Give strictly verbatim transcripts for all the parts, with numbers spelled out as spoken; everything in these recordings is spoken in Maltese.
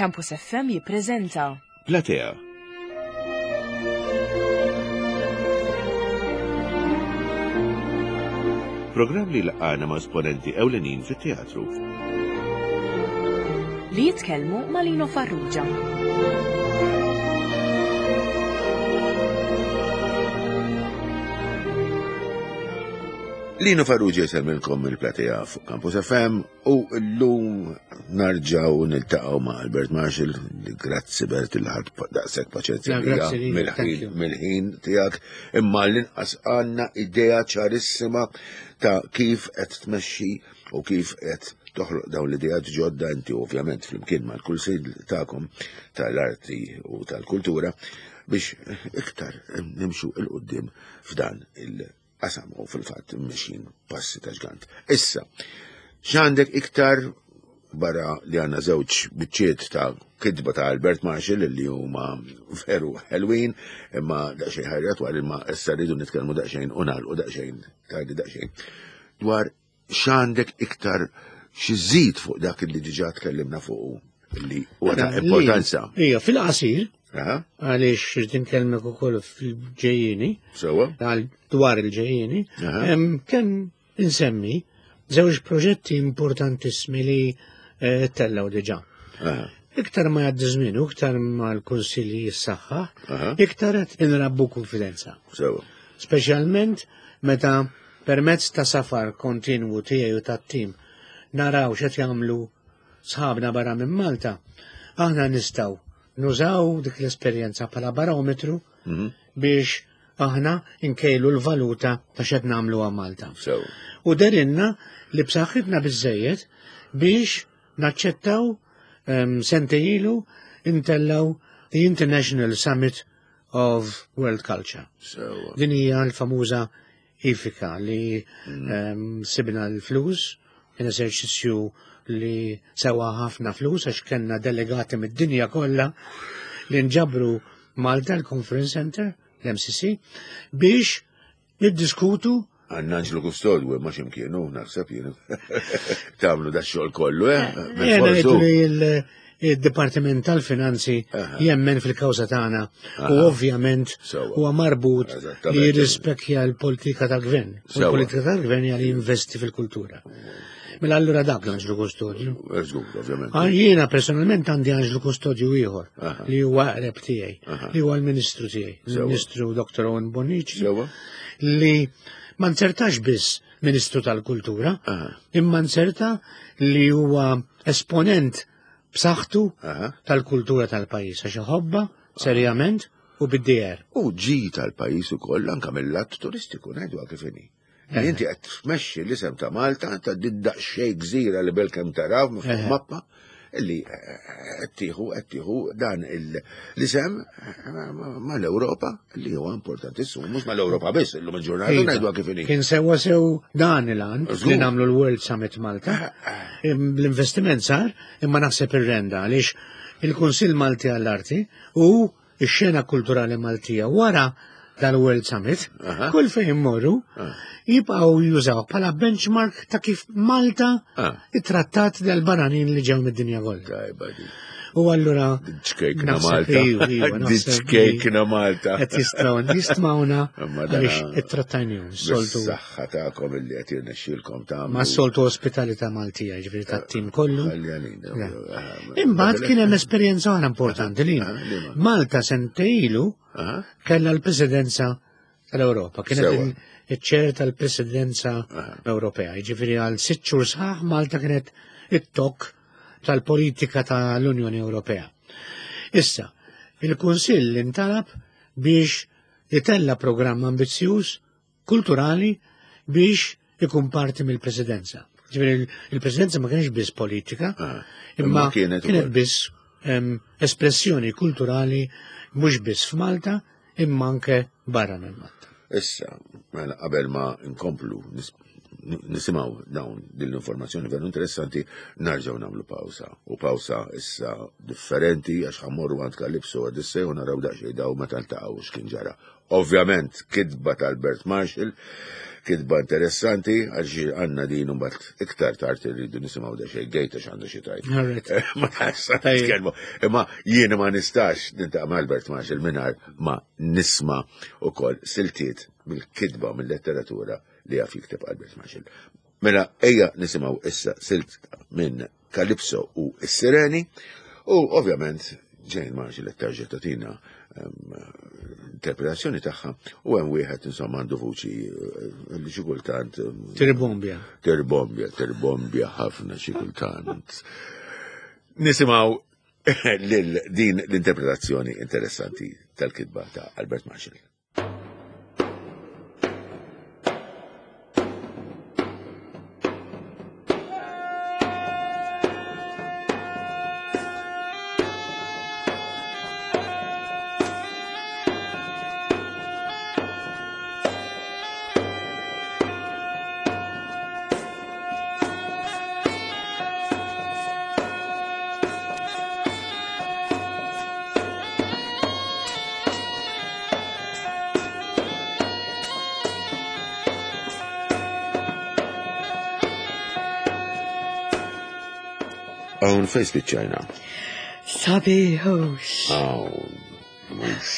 Campus F M jippreżenta Platea. Programm li laqana ma' esponenti ewlenin fit-teatru. Li jitkellmu ma' Lino Farrugia. Lino Farrugia jsellmilkom mill-Platea fuq Campus F M u llum narġaw niltaqgħu ma' Albert Marshall, li grazzi, Bert, li ħadt daqshekk paċenzja Ja, grazzi lilek, mill-ħin thank you. mill-ħin tiegħek, imma l-inqas għandna idea ċarissima ta' kif qed tmexxi u kif qed toħloq dawn l-ideat ġodda inti, ovvjament flimkien mal-kunsill tagħkom tal-arti u tal-kultura, biex iktar nimxu 'l quddiem f'dan il-qasam u fil-fatt mexjin passi ta' ġgant. Issa, x'għandek iktar barra li għandna żewġ biċċiet ta' kitba ta' Albert Marshall li huma veru ħelwin, imma daqsxejn ħajra dwar, imma issa rridu nitkellmu daqsxejn u nagħlqu daqsxejn tgħidli daqsxejn dwar x'għandek iktar xi żid fuq dak li diġà tkellimna fuq li huwa ta' Mela, importanza. Ija, fil-qasir, Aha, għaliex irrid inkellmek ukoll fil-ġejjieni, Sewwa? għal dwar il-ġejjieni, Aha. em, kemm insemmi żewġ proġetti importantissimi li eh, tellaw diġà. Aha, Iktar ma jgħaddi żmien u iktar ma l-kunsilli jissaħħaħ, aha, iktar qed inrabbu konfidenza. Sewwa. Speċjalment meta permezz ta' safar kontinwu tiegħi u tat-tim naraw x'qed jagħmlu sħabna barra minn Malta, aħna nistgħu nużaw dik l-esperjenza bħala barometru Mhm, biex aħna nkejlu l-valuta ta' x'qed nagħmlu għal Malta. Sewwa. U derinna li b'saħħitna biżejjed biex naċċettaw um, sentejn ilu intellaw the International Summit of World Culture. Sewwa. Din hija l-famuża IFICA li um, sibna l-flus, kien eżerċizzju li sewa ħafna flus għax kellna delegati mid-dinja kollha li nġabru Malta l-Conference Center, l-M C C, biex niddiskutu. Għandna Anġlu Kustodju, ma ximkienu, naħseb jien. Tagħmlu da xogħol kollu, eh? Jena Bil-forsu. ngħidu li il- il-Dipartiment tal-Finanzi Aha. jemmen fil-kawża tagħna u Aha. ovvjament Sewwa. huwa marbut Eżattament. li jirrispekkja l-politika tal-gvern. U Sewwa. l-politika tal-gvern hija li jinvesti fil-kultura. Mela allura dak l-Anġlu Kustodju. Żgur, ovvjament. Ah, jiena personalment għandi Anġlu Kustodju ieħor Aha. li huwa qreb tiegħi, Aha. li huwa l-Ministru tiegħi, Sewwa. il-Ministru Doctor Owen Bonnici, Sewwa. li ma nzertax biss Ministru tal-Kultura, Aha. imma nzerta li huwa esponent b'saħħtu Aha. tal-kultura tal-pajjiż għax iħobbha serjament u bid-D R. U ġi tal-pajjiż ukoll anka mill-lat turistiku, ngħidu kif inhi. Eh. Inti qed tmexxi l-isem ta' Malta ta' did-daqsxejn gżira li belkemm taraw fuq Eh. mappa illi eh, qed tieħu qed tieħu dan il- l-isem eh, mal-Ewropa li huwa importantissimu, mhux mal-Ewropa biss, illum il-ġurnata Iva. ngħidu kif inhi. Kien sewa sew dan il-għan Żgur. li nagħmlu l-World Summit Malta. Im- L-investiment sar imma naħseb ir-renda għaliex il-Kunsill Malti għall-Arti u x-xena kulturali Maltija wara dal-World Summit, Aha. kull fejn immorru Ah. jibqgħu jużaw bħala benchmark ta' kif Malta Ah. ittrattat dal-barranin li ġew mid-dinja kollha. Tajba di. U allura Ċkejkna naħseb- Malta. iva, iva, naħseb li Ċkejkna Malta. qed jistgħu jistmawna Imma dana- għaliex ittrattajnihom soltu Bis-saħħa tagħkom illi qed jirnexxielkom tagħmlu. Ma soltu ospitalità Maltija, ġifieri tat-tim kollu. Ħalli Ja. Imbagħad kien hemm esperjenza oħra importanti li Ah, liema? Malta sentejn ilu Aha. kellha l-Presidenza tal-Ewropa, kienet Sewwa. il- iċ-chair tal-Presidenza Aha. Ewropea. Ġifieri għal sitt xhur sħaħ Malta kienet it-tok tal-politika tal-Unjoni Ewropea. Issa, il-Kunsill intalab biex itella programm ambizzjuż kulturali biex ikun parti mill-presidenza. Ġifieri il-presidenza ma kienx biss politika, Ah, imma imma kienet kienet ukoll. biss em, espressjoni kulturali mhux biss f'Malta imma anke barra minn Malta. Issa, mela qabel ma nkomplu nis- nisimgħu dawn din l-informazzjoni veru interessanti, narġgħu nagħmlu pawsa. U pawsa issa differenti għax ħa mmorru għand Calypso Odyssey u naraw daqsxejn daw meta ltaqgħu x'kien ġara. Ovvjament, kitba ta' Albert Marshall kitba interessanti, għax għandna din imbagħad iktar tard irridu nisimgħu da xejn gejta x'għandu xi tajt. Ma nistax nitkellmu. Imma jiena ma nistax nintaqa' ma' Albert Marshall mingħajr ma nisma' ukoll siltiet mill-kitba mill-letteratura li jaf jikteb Albert Marshall. Mela ejja nisimgħu issa silt minn Calypso u s-Sireni u ovvjament Jane Marshall qed terġa' tagħtina interpretazzjoni tagħha u hemm wieħed insomma għandu vuċi li xi kultant Tirbombja. Tirbombja, tirbombja ħafna xi kultant. Nisimgħu lil din l-interpretazzjoni interessanti tal-kitba ta' Albert Marshall. Hawn fejn spiċċajna? Sabiħux. Hawn, mhux.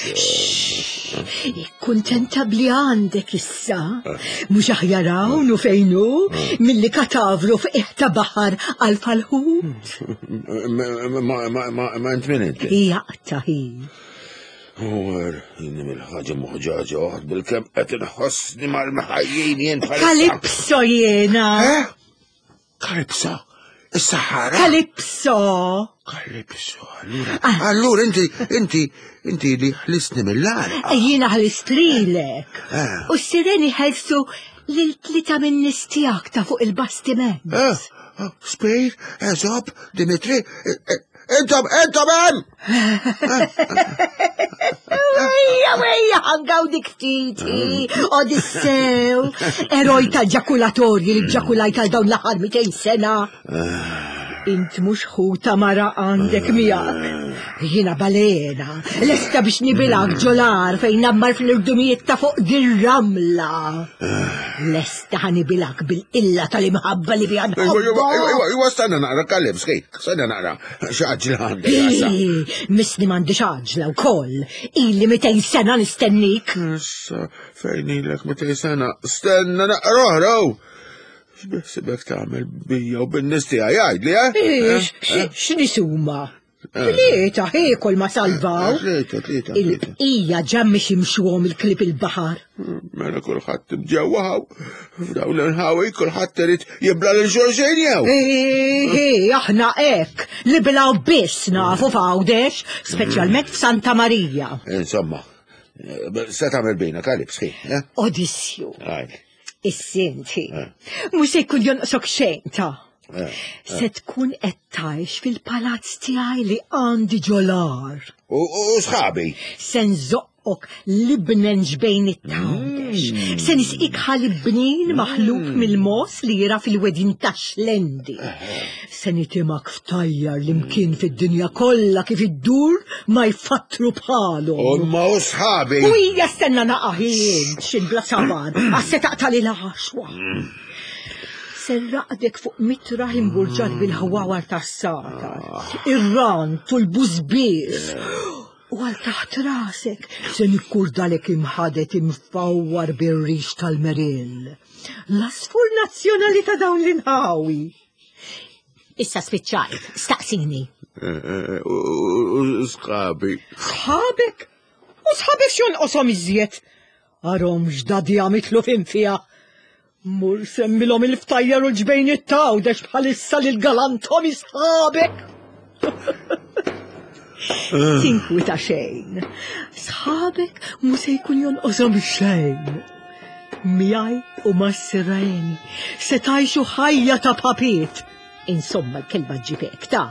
Kuntenta bli għandek issa. Mhux aħjar hawn u fejn hu milli katavru f'qiegħ ta' baħar għal falħut. Ma int min inti? Jaqta' hi. Wer, jien mill-ħaġa moħġaġa waħd bil-kemm qed inħossni mal-ħajjin jien bħalissa. Kalipso jiena. Kalipso? Is-Sahara? Kalipso. Kalipso, allura. Allura inti, inti, inti li ħlistni mill-għarqa. Jiena ħlist lilek. U s-sireni ħelsu lil tlieta minn nies tiegħek ta' fuq il-bastiment. Spejr, Eżop, Dimitri, intom, intom hemm! Ejja, ejja, ħangaw dik ftit, Odissew, eroj tal-ġakulatorji li ġakulajt għal dawn l-aħħar mitejn sena. Int mhux ħuta mara għandek miegħek. Jiena balena, lesta biex nibilak ġolar fejn nammar fl-irdumijiet ta' fuq dir-ramla. Lesta ħanibilak bil-illa tal-imħabba li biha Iwa, iwa, iwa, stanna naqra, Kalipso, stanna naqra, x'għaġla għandek għasa. Misni m'għandix għaġla wkoll, ili mitejn sena nistennik. Issa, fejn ilek mitejn sena, stenna naqra oħra. X'beħsibek tagħmel bija u bin-nies tiegħi jgħidli, eh? X'nies huma? Tlieta ħiekol ma salvaw. Tlieta, tlieta. Il-bqija ġa mhix imxuhom il-klieb il-baħar. Mela kulħadd bġewwa hawn. F'dawn l-inħawi kulħadd irid jibla lil xulxin jew. Ej, aħna hekk li bilaw biss nafu f'Għawdex, speċjalment f'Santa Marija. Insomma, se tagħmel bina Kalipso, eh? Odissju. Is-sinti, mhux se jkun jonqsok xejn ta'. Se tkun qed tgħix fil-palazz tiegħi li għandi ġolar. U sħabi? Se nżoqqok libnen ġbejn it-tawdex. Se nisqik ħalib bnin maħlub mill-mos li jira fil-wedin ta' Xlendi. Se nitimak ftajjar li mkien fid-dinja kollha kif iddur ma jfattru bħalhom. U ma u sħabi? U hija stenna naqaħin x'in bla sabar għas se taqtali l-għaxwa. Serraqdek fuq mitraħ imburġat bil-ħwawar tas-satar, ir-rant u l-bużbież. U għal taħt rasek se nikkurdalek imħadet imfawwar bir-rix tal-merill. L-asfur nazzjonali ta' dawn l-inħawi. Issa spiċċajt, staqsini. U sħabi. Sħabek? U sħabek x'jonqoshom iżjed? Arhom x'dadija mitlu fin fiha. Mur semmilhom il-ftajjar u l-ġbejn it-tawdex bħalissa lil galantom isħabek. Tinkwita xejn. Sħabek mhu se jkun jonqoshom xejn. Miegħi u mas-sireni se tgħixu ħajja ta' papiet. Insomma l-kelma ġibek ta'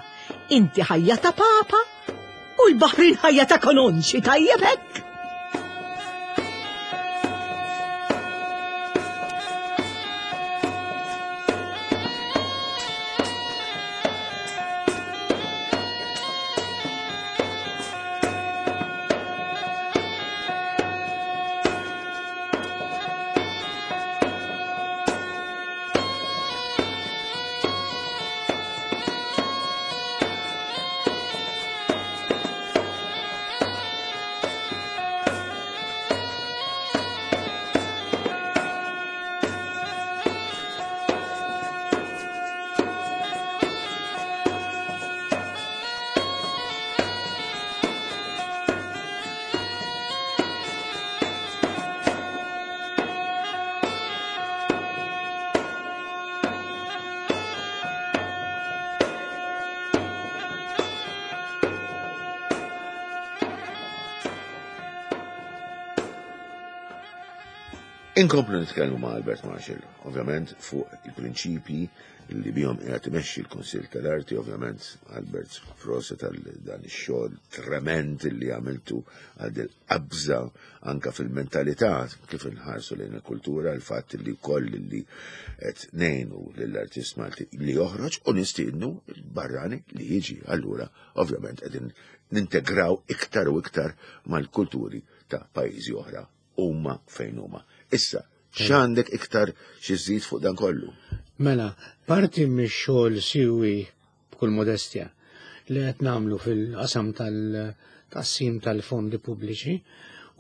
inti ħajja ta' papa u l-baħrin ħajja ta' kanonċi tajjeb hekk. Inkomplu nitkellmu ma' Albert Marshall, ovvjament fuq il-prinċipji li bihom qiegħed imexxi l-Kunsill tal-Arti, ovvjament Albert proset għal dan ix-xogħol trement li għamiltu għal dil qabża anka fil-mentalità kif inħarsu lejn il-kultura, il-fatt li wkoll li qed ngħinu lill-artist Malti li joħroġ u nistiednu l-barrani li jiġi. Allura, ovvjament qegħdin nintegraw iktar u iktar mal-kulturi ta' pajjiżi oħra huma fejn huma. Issa, x'għandek iktar xi żżid fuq dan kollu? Mela, parti mix-xogħol siwi b'kull modestja li qed nagħmlu fil-qasam tal-tqassim tal-fondi pubbliċi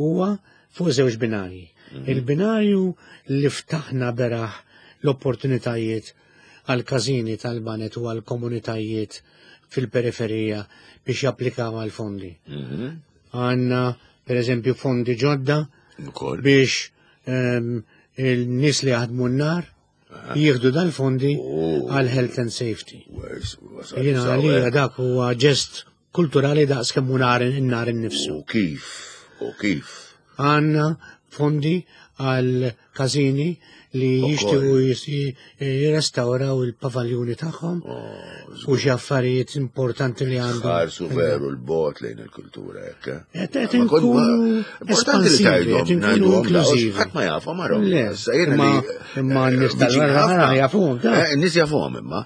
huwa fuq żewġ binarji. Il-binarju li ftaħna beraħ l-opportunitajiet għal każini tal-banet u għal komunitajiet fil-periferija biex japplikaw għal fondi. Għandna, per eżempju, fondi ġodda Ukoll. biex ehm, il-nies li jaħdmu n-nar jieħdu dal-fondi Oh. għal health and safety. Wers- wasal Jiena sawa. għalija dak huwa ġest kulturali daqs kemm hu nar in-nar innifsu. U kif? U kif? Għandna fondi għal każini li Ukoll. jixtiequ jis- jirrestawraw il-pavaljuni tagħhom u xi affarijiet importanti li għandhom. Ħarsu veru l-bot lejn il-kultura, hekk. eh? Qed qed Ma kont- inkunu ma- Importanti li espansivi, tgħidhom, qed inkunu ngħiduhom, da, inklużivi. Ħadd ma jafhom marhom. Le, Issa jiena imma- li, imma eh, n-nies viċin tal-barra ħafna. jafuhom, da. Eh, N-nies jafuhom imma.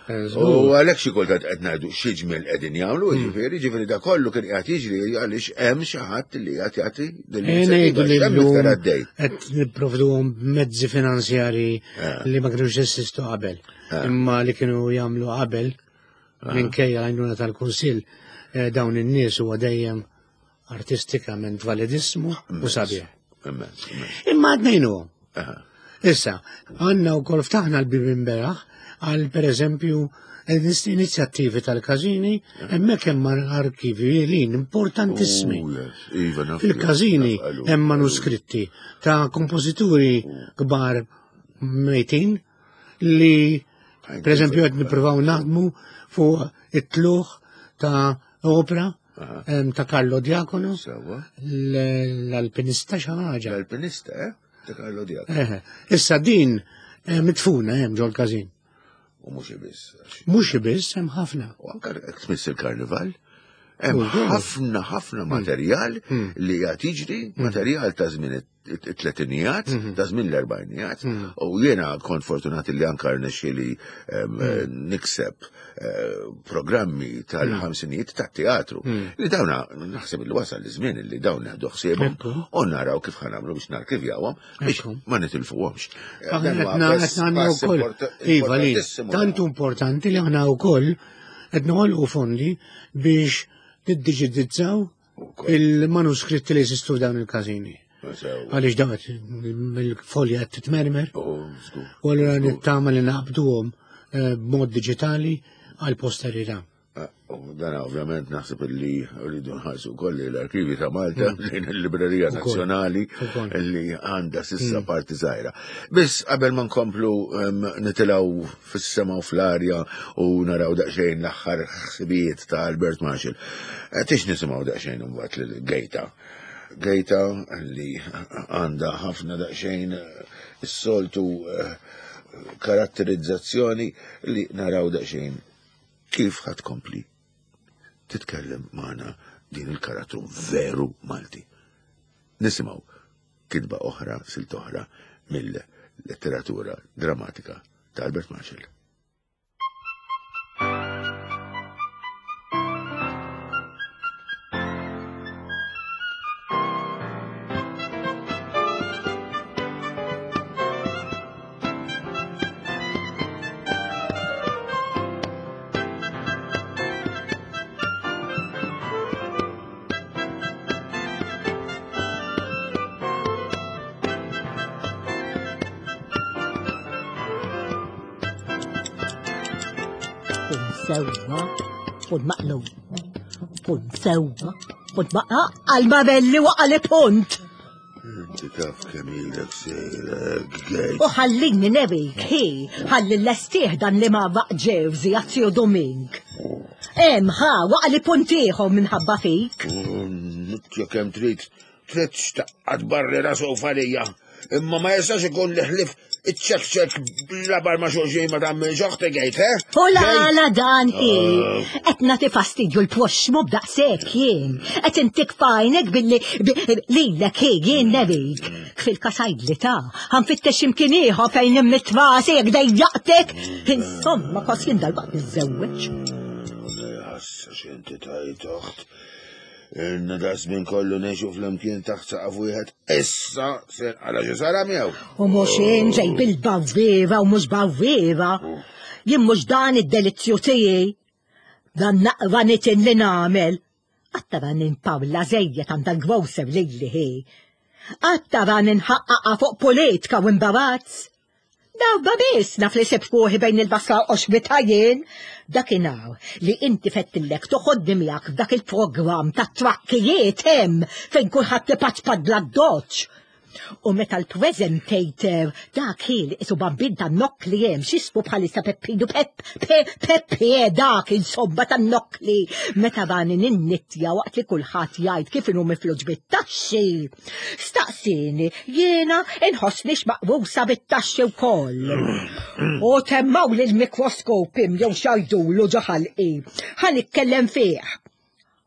U għalhekk xi kultant qed ngħidu xi ġmiel qegħdin jagħmlu, Hmm. jiġifieri, jiġifieri da kollu kien qiegħed jiġri għaliex hemm xi ħadd li qiegħed jagħti din E ngħidu l-inizjattiva. li X'hemm llum iktar għaddej? qed nipprovduhom b'mezzi finanzjari Eh. li ma kinux jeżistu qabel. Imma li kienu jagħmlu qabel minkejja l-għajnuna tal-Kunsill eh, dawn in-nies huwa dejjem artistikament validissmu u sabiħ. Immens, immens. Imma għad ngħinuhom. Aha. Issa, għandna wkoll ftaħna l-bibin beraħ għal per eżempju inizjattivi tal-każini, hemmhekk hemm arkivi lin importantissimi. Oh, yes. Iva, naf- Fil-każini naf- għalu- hemm manuskritti ta' kompożituri kbar mejtin li per eżempju qed nippruvaw naħdmu fuq it-tluħ ta' opera em, ta' Carlo Diacono, Sewwa. l- l-alpinista xi ħaġa. L-alpinista, eh? Ta' Carlo Diacono. Eħe. Issa din eh, mitfuna hemm ġol-każin. U mhux biss. għax- Mhux biss hemm ħafna. U anka jekk tmiss il-karnival, hemm U żgur. ħafna ħafna materjal li qed jiġri, materjal ta' żmien it-tletinijat, ta' żmien l-erbajnijat, u jiena kont fortunat li anka rnexxieli em, nikseb eh, programmi tal-ħamsinijiet tat-teatru. Li dawna naħseb li wasal iż-żmien li dawn neħdu ħsiebhom Ekku. u naraw kif ħanamlu biex narkivjawhom biex Ekku. ma nitilfuhomx. Eh, Aħna Dan huwa qed na- pass- qed nagħmlu pass wkoll. importa- Iva li, importantissimu. tant importanti li aħna wkoll qed noħolqu fondi biex niddiġitizzaw Ukoll. il-manuskritti li jeżistu f'dawn il-każini. Sew. Għaliex dawn qed il-folja qed titmermer Oh, żgur. u allura nittama li naqbduhom eh, b'mod diġitali għal posterità. Ah, U dan ovvjament naħseb li rridu nħarsu wkoll li l-arkivi ta' Malta lejn il-Librerija Mm. Ukoll. Nazzjonali Ukoll. Mm. li għandha sissa parti żgħira. Biss qabel ma nkomplu em, nitilgħu fis-sema u fl-arja u naraw daqsxejn l-aħħar ħsibijiet ta' Albert Marshall. Eh, Tix nisimgħu daqsxejn imbagħad lil Gejta. Gejta li għandha ħafna daqsxejn eh, is-soltu eh, karatterizzazzjoni li naraw daqsxejn kif ħad kompli titkellem magħna din il-karattru veru Malti. Nisimgħu kitba oħra, silt oħra mill-letteratura drammatika ta' Albert Marshall. Punt sewwa, punt maqlub. Punt sewwa, punt maqlub. Għal-mabelli waqa li punt. Inti taf kemm ilek sejrek gej. U ħallini nebik, hi, ħalli l-estiħ dan li ma baqġewzi għazzju Domink. Em, ħa, waqa li punt ieħor minħabba fik. Nitja kemm trid, trid xtaqqat barri rasu falija. Imma ma jistax ikun li ħlif iċ-ċek-ċek labar ma' xulxin ma tagħmilx oħti gejt, eh? U la la dan hi. Qed nagħti fastidju l-proxxmu b'daqshekk jien. Qed intik fajnek billi lilek hi jien nebik. Fil-kasajd li ta' ħanfittex imkien ieħor fejn immitrasi jekk dejjaqtek. Insomma, kos jien dal-waqt niżżewweġ. Ħassa x'inti tajt oħt. Ilna da żmien kollu ngħixu flimkien taħt saqaf wieħed. Issa ser għala xi sara miegħu. U mhux ġej bil-bawwieva u mhux bawwieva. Jien mhux dan id-delizzju tiegħi. Dan naqra nitin li nagħmel. Qatt ninpawla żejjed għand dal-grocer lili hi. Qatt tara ninħaqqaqa fuq politika u imbarazz. Darba biss naf li sibt ruħi bejn il-basla u qoxbita jien. Dakinhar li inti fettillek toħodni miegħek f'dak il-programm ta' trakkijiet hemm fejn kulħadd ipaċpad bla doċ. U meta l-presentator dak li isu bambin ta' nokkli hemm x'ismu bħalissa Peppinu Pep Pe Peppi dak insomma ta' nokkli meta bani ninnittja waqt li kulħadd jgħid kif inhu mifluġ bit-taxxi. Staqsini jiena inħossnix maqbusa bit-taxxi wkoll. U temmaw li l-mikroskop jew xajdulu ġo ħalqi. Ħa nitkellem fih.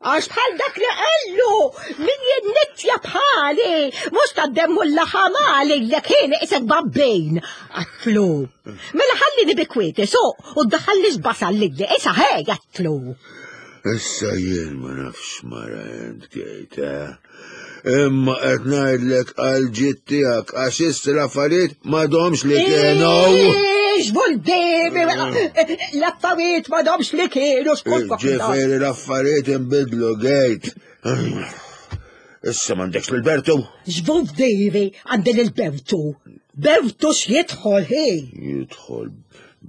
Għax bħal dak li qallu, min jinnittja bħali, mhux tad-demmu l-laħamali l kien isek babbejn. Għatlu. Mela ħallini bi kwieti, suq, u ddaħallix basal li isa ħej, għatlu. Issa jien ma nafx mara int gejt, eh? Imma qed ngħidlek għal ġid tiegħek għax issa l-affarijiet m'għadhomx li kienu. Ix, buldimi, l-affarijiet m'għadhomx li kienu, xkont Ġifieri l-affarijiet inbidlu gejt. Issa m'għandekx lil Bertu? X'buldimi għandi lil Bertu. Bertu x'jidħol hi? Jidħol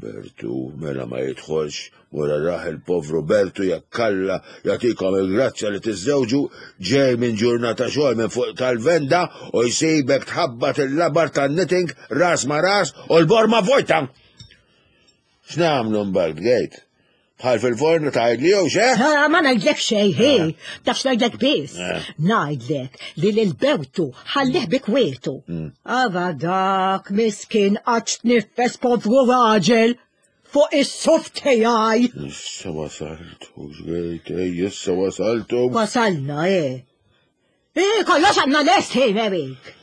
Bertu, mela ma jidħolx, wara raħ il-povru Bertu jekk Alla jagħtikom il-grazzja li tiżżewġu ġej minn ġurnata xogħol minn fuq tal-venda u jsibek tħabbat il-labar tan-knitting ras ma ras u l-borma vojta. X'nagħmlu mbagħad gejt? Bħal fil-forn tgħidli jew xe? Ha, ma ngħidlek xejn, hi. Taf x'ngħidlek biss. Ngħidlek li lil Bertu ħallih bi kwietu. Ava dak miskin qatt tniffes povru raġel fuq is-suf tiegħi. Issa wasaltu, x'gejt, ej, issa wasaltu. Wasalna, eh. Eh, kollox għandna lest, hi, Merik.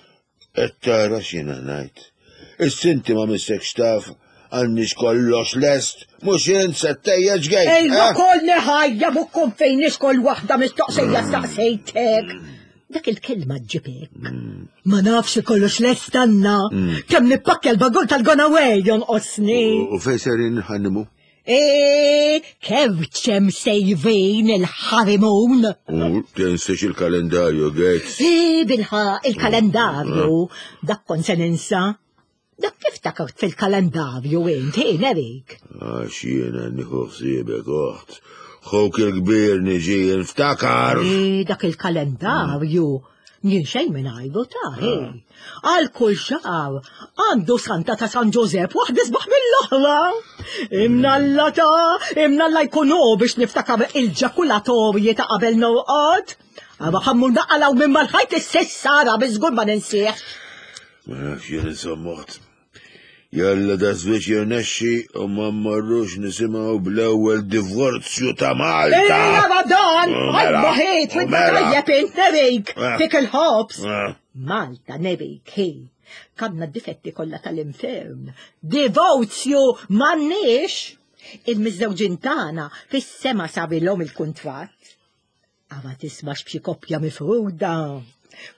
Qed tara x'jiena ngħid. Is-sinti ma missekx taf għandix kollox lest, mhux int se ttejjeġ gejt. Ej, ma kolni ħajja bukkum fejn kol waħda mistoqsija staqsejtek. Dak il-kelma ġibek. Ma nafx kollox lest għandna. Kemm nippakkja l-bagul tal-gonaway jonqosni. U fejn serin ħannimu? E, kewċem sejvin il-ħarimun. U tinsiex il-kalendarju, gejt. E, bilħa, il-kalendarju. Dak kon se ninsa. Dak kif takart fil-kalendarju int, hi, Nerik? Għax jiena nieħu ħsiebek oħt. Ħuk il-kbir niġi nftakar. E, dak il-kalendarju. Jien xejn minn għajbu ta' hi. Għal kull xahar għandu Santa ta' San Ġużepp waħda isbaħ mill-oħra. Imnalla ta' imnalla jkunu biex niftakar il-ġakulatorji ta' qabel norqod. Għaba ħammu naqalaw minn mal-ħajt is-sessara biżgur ma ninsiex. Ma nafx jien insomma oħt. Jalla da żwieġ jirnexxi u ma mmorrux nisimgħu bl-ewwel divorzju ta' Malta. Ejja ma dan, U mela, għajba ħejt, u mela. tajjeb int Nerik, Eh. fik il-ħobs. Eh. Malta Nerik, hi, kamna d-difetti kollha tal-infern. Divorzju m'għandniex. Il-miżżewġin tagħna fis-sema sabilhom il-kuntratt. Għava tismax b'xi koppja mifruda.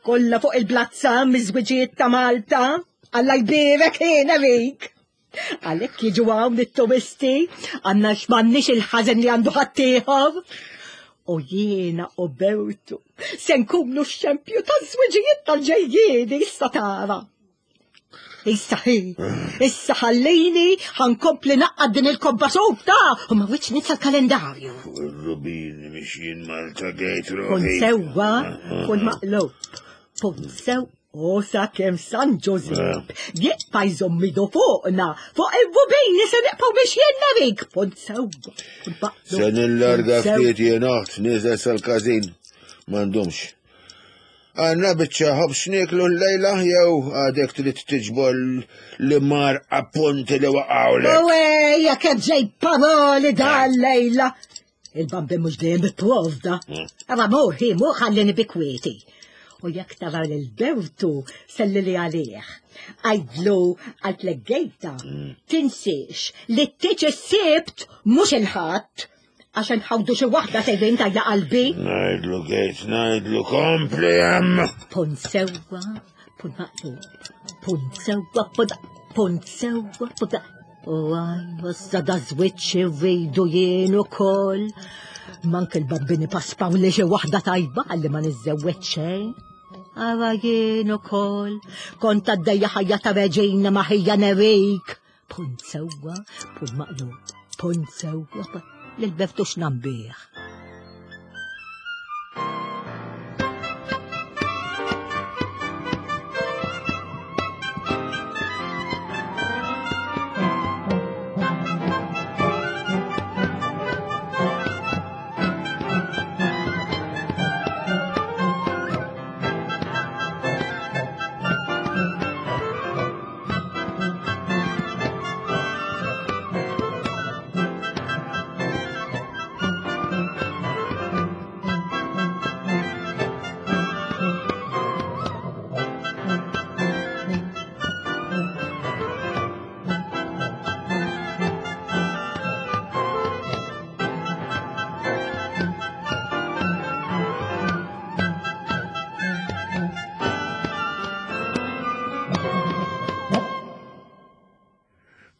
Kollha fuq il-blazza miż-żwiġijiet ta' Malta. Alla jbierek hi Nerik. Għalhekk jiġu hawn it-turisti, għandna x'm'għandniex il-ħażen li għandu ħaddieħor. U jiena u Bertu se nkunu x-xempju taż-żwiġijiet tal-ġejjieni issa tara. Issa hi, issa ħallini ħankompli naqqad din il-kobba softa u ma rridx ninsa l-kalendarju. Fuq ir-rubin mixjin Malta gejt Kun ruħi. sewwa, kun maqlub. Kun sew u sakemm San Ġużepp jibqa' jżomm idu fuqna, fuq ir-rubini se nibqgħu biex jien Nerik. Kun sewwa, kun maqlub. Se nillarga kun sew- ftit jien oħt niżel sal-każin. M'għandhomx. Għanna biċċa ħobż nieklu l-lejla jew għadek trid tiġbor li mar appunti li waqgħulek. U ejja kemm ġej paroli dan lejla. Il-bambi mhux dejjem ipprovda. Ara mur hi mur ħallini bi kwieti. U jekk tara lil Bertu selli li għalih. Għajdlu għal gejta tinsiex li t-tiġ is-sibt mhux il-ħadd għax nħawdu xi waħda sejrin tajja qalbi. Ngħidlu gejt, ngħidlu kompli hemm. Punt sewwa, punt maqlub, punt sewwa, punt punt sewwa, punt U għaj, issa da żwiċċ irridu jien ukoll. Mank il-babbini paspaw li xi waħda tajba għalli ma niżżewweġ xejn. Ara jien ukoll, kont għaddejja ħajja ta' reġina ma' ħija nerik. Punt sewwa, punt maqlub, punt sewwa, lil Bertux nambih.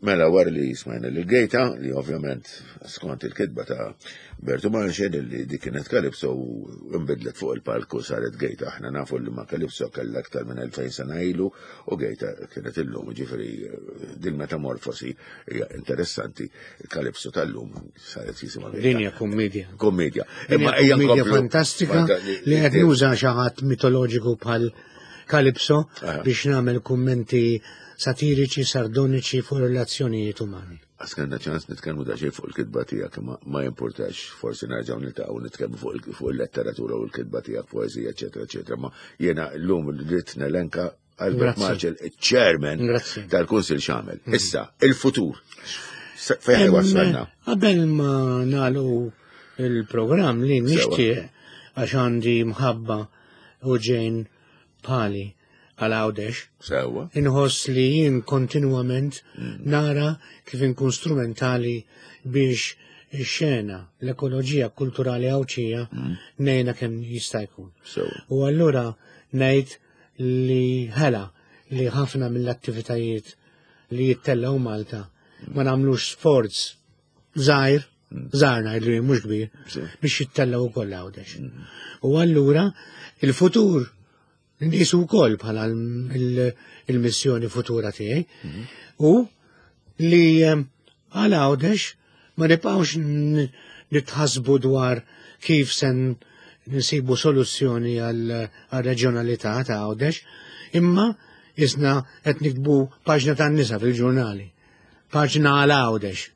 Mela wara li smajna lil Gejta, li ovvjament skont il-kitba ta' Bertu Manxen li dik kienet Kalipso u nbidlet fuq il-palku saret Gejta. Aħna nafu li ma' Kalipso kellha aktar minn elfejn sena ilu u Gejta kienet illum, ġifieri din metamorfosi hija interessanti. Il-Kalipso tal-lum saret jisimha Gejta. Din hija kummedja. Kummedja. Din Imma hija ejja kummedja nkomplu. fantastika Fanta- li qed nuża xi ħadd mitoloġiku bħal Kalipso Aha. biex nagħmel kummenti satiriċi, sardoniċi fuq relazzjonijiet umani. Għax kellna ċans nitkellmu daqsxejn fuq il-kitba tiegħek, imma ma jimpurtax, forsi nerġgħu niltaqgħu nitkellmu fuq il-, fuq il-letteratura u l-kitba tiegħek, poeżija, eċetera, eċetera. Ma jiena llum rrid nelenka Albert Grazzi. Marcel, il-chairman Grazzi. tal-Kunsil x'għamel. Issa, il-futur. S-, Fejn Em, wasalna? Qabel ma nagħlqu il-programm li nixtieq għax għandi mħabba u ġejn pali għal Għawdex, Sewwa. inħoss li jien kontinwament nara kif inkun strumentali biex ix-xena, l-ekoloġija kulturali Għawdxija ngħinha kemm jista' jkun. Sewwa. U allura ngħid li ħela li ħafna mill-attivitajiet li jittellgħu Malta ma nagħmlux sforz żgħir, żgħar ngħidlu jien mhux kbir, Sì. biex jittellgħu wkoll Għawdex. U allura il-futur nqisu wkoll bħala l-, il-, il-missjoni futura tiegħi u li, ehm, għal Għawdex ma nibqgħux n-, nitħasbu dwar kif se n-, nsibu soluzzjoni għal, għal reġjonalità ta' Għawdex, imma isna qed nikbu paġna tan-nisa fil-ġurnali, paġna għal Għawdex.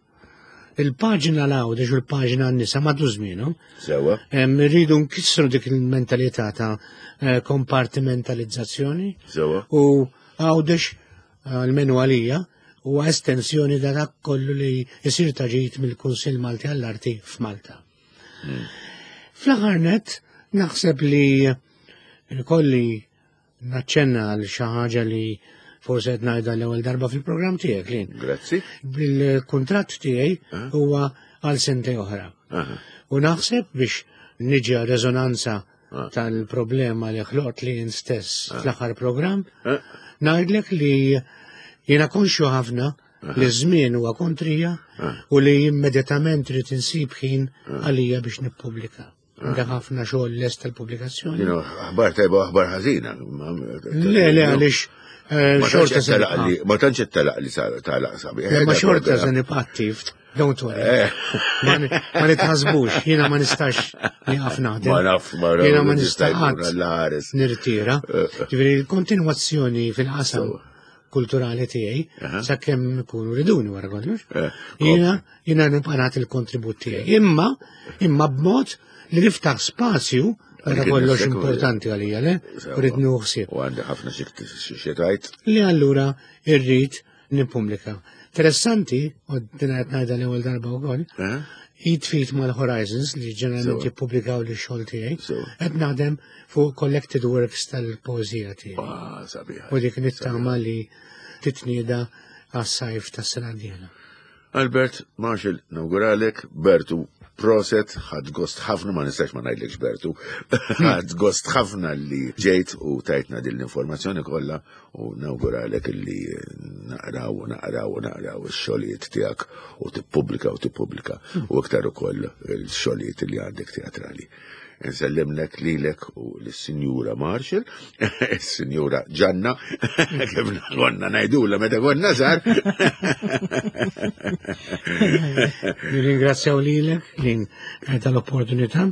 Il-paġna għal Għawdex u l-paġna għan-nisa m'għadu żmienhom. Sewwa. Em, Rridu nkissru dik il-mentalità ta', eh, kompartimentalizzazzjoni. Sewwa. U Għawdex, almenu għalija, huwa estensjoni ta' dak kollu li jsir taġit mill-Kunsill Malti għall-Arti f'Malta. Mm. Fl-aħħar nett, naħseb li kolli naċċenna għal xi ħaġa li forse qed ngħidha l-ewwel darba fil-programm tiegħek, Lin. Grazzi. Bil-kuntratt tiegħi Ah. huwa għal sentej oħra. Aha. U naħseb biex niġi għal reżonanza Ah. tal-problema li ħloqt li jien stess Ah. fl-aħħar programm, Ah. ngħidlek li jiena konxju ħafna li żmien huwa kontrija Ah. u li immedjatament trid insib ħin Ah. għalija biex nippubblika. Għandha ħafna xogħol lest tal-pubblikazzjoni. Jiena aħbar tajba u aħbar ħażina. Le, le, għaliex, eh, Ma xorta tantx se telaq nibqa'. li, ma tantx telaq li sa- talaq sabiħ. Le, ma Eh, xorta eh, se nibqa' attiv, don't worry. Eh. Ma ni-, ma nitħasbux, jiena ma nistax nieqaf naħdem. Ma naf, ma naf, Jiena ma nista' nista' jkun qatt għall-ħares. nirtira. Eh, eh. Ġifieri l-kontinwazzjoni fil-qasam Sewa. kulturali tiegħi Aha. sakemm ikunu riduni wara kollox. Eh, Jiena jiena nibqa' nagħti l-kontribut tiegħi. Imma, imma b'mod li niftaħ spazju Għara kollox importanti għalija, le? Rrid nuħsib. U għandi ħafna xi tajt. Li allura irrid nippubblika. Interessanti, u din qed ngħidha l-ewwel darba wkoll, jitfit mal-Horizons li ġeneralment jippubblikaw li xogħol tiegħi, qed naħdem fuq collected works tal-poeżija tiegħi. Ah, U dik nittama li titnieda għas-sajf tas-sena d-dieħla. Albert Marshall, nawguralek, Bertu, proset, ħadd gost ħafna, ma nistax ma ngħidlekx Bertu, ħadd gost ħafna li ġejt u tajtna din l-informazzjoni kollha u nawguralek li naqraw u naqraw u naqraw ix-xogħlijiet tiegħek u tippubblika u tippubblika u iktar ukoll il-xogħlijiet li għandek teatrali. Nsellimlek lilek u l-Sinjura Marshall, il-Sinjura Ġanna, kif konna ngħidula meta konna żgħar. Nirringrazzjaw lilek li tal-opportunità,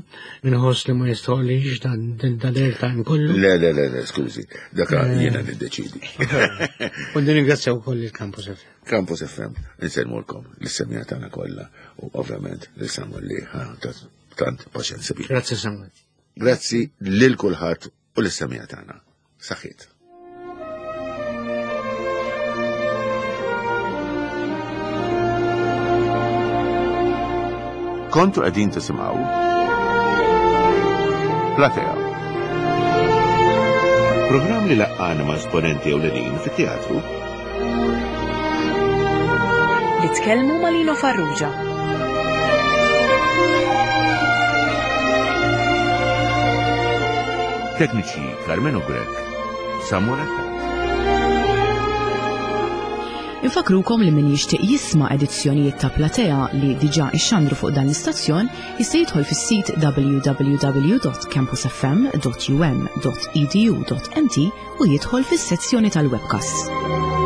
minħoss li ma jistħoqlix dan dan kollu. Le, le, le, le, skużi, daka jiena niddeċidi. U nirringrazzjaw ukoll il-Campus F M. Campus F M, nsellmulkom l-semija tagħna kollha u ovvjament lil Samuel li tant paċenza bik. Grazzi Samuel. Grazzi lil kulħadd u l-semija tagħna. Saħħiet. Kontu qegħdin tisimgħu Platea. Programm li laqqana ma' esponenti ewlenin fit-teatru. Li tkellmu ma' Lino Farrugia. Tekniċi Carmelo Grech, Samuel Attard. Infakrukom li min jixtieq jisma' edizzjonijiet ta' Platea li diġà ixxandru fuq dan l-istazzjon jista' jidħol fis-sit w w w dot campus f m dot u m dot e d u dot m t u jidħol fis-sezzjoni tal-webcast.